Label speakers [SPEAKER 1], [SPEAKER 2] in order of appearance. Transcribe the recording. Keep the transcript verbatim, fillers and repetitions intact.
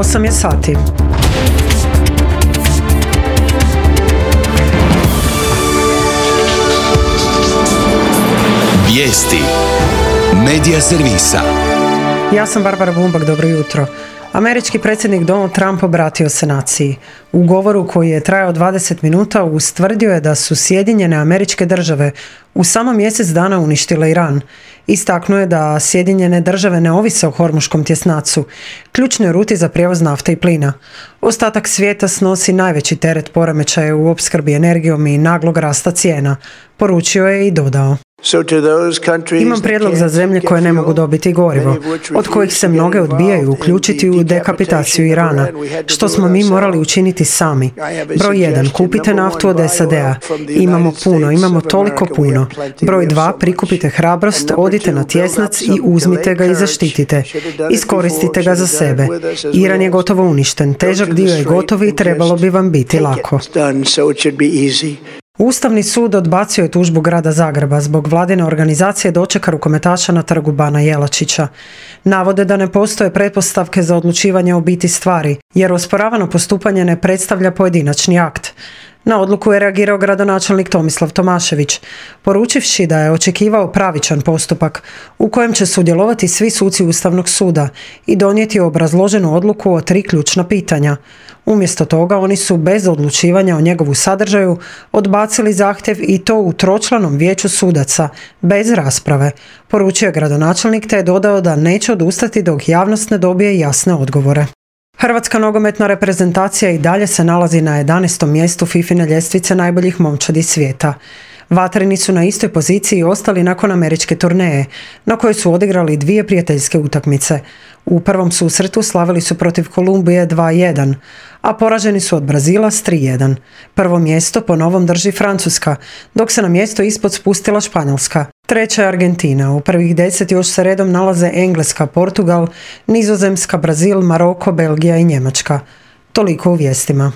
[SPEAKER 1] osam je sati.
[SPEAKER 2] Vijesti Medija servisa.
[SPEAKER 1] Ja sam Barbara Bumbak, dobro jutro. Američki predsjednik Donald Trump obratio se naciji. U govoru koji je trajao dvadeset minuta ustvrdio je da su Sjedinjene Američke Države u samo mjesec dana uništile Iran. Istaknuo je da Sjedinjene Države ne ovise o hormuškom tjesnacu, ključnoj ruti za prijevoz nafte i plina. Ostatak svijeta snosi najveći teret poremećaja u opskrbi energijom i naglog rasta cijena, poručio je i dodao. Imam prijedlog za zemlje koje ne mogu dobiti gorivo, od kojih se mnoge odbijaju uključiti u dekapitaciju Irana, što smo mi morali učiniti sami. Broj jedan, kupite naftu od S A D-a. Imamo puno, imamo toliko puno. Broj dva, prikupite hrabrost, odite na tjesnac i uzmite ga i zaštitite. Iskoristite ga za sebe. Iran je gotovo uništen, težak dio je gotov i trebalo bi vam biti lako. Ustavni sud odbacio je tužbu grada Zagreba zbog vladine organizacije dočeka rukometaša na trgu Bana Jelačića. Navode da ne postoje pretpostavke za odlučivanje o biti stvari, jer osporavano postupanje ne predstavlja pojedinačni akt. Na odluku je reagirao gradonačelnik Tomislav Tomašević, poručivši da je očekivao pravičan postupak u kojem će sudjelovati svi suci Ustavnog suda i donijeti obrazloženu odluku o tri ključna pitanja. Umjesto toga oni su bez odlučivanja o njegovu sadržaju odbacili zahtjev i to u tročlanom vijeću sudaca, bez rasprave, poručio je gradonačelnik te je dodao da neće odustati dok javnost ne dobije jasne odgovore. Hrvatska nogometna reprezentacija i dalje se nalazi na jedanaestom mjestu fifine ljestvice najboljih momčadi svijeta. Vatreni su na istoj poziciji ostali nakon američke turneje, na kojoj su odigrali dvije prijateljske utakmice. U prvom susretu slavili su protiv Kolumbije dva jedan, a poraženi su od Brazila s tri jedan. Prvo mjesto po novom drži Francuska, dok se na mjesto ispod spustila Španjolska. Treća je Argentina, u prvih deset još se redom nalaze Engleska, Portugal, Nizozemska, Brazil, Maroko, Belgija i Njemačka. Toliko u vijestima.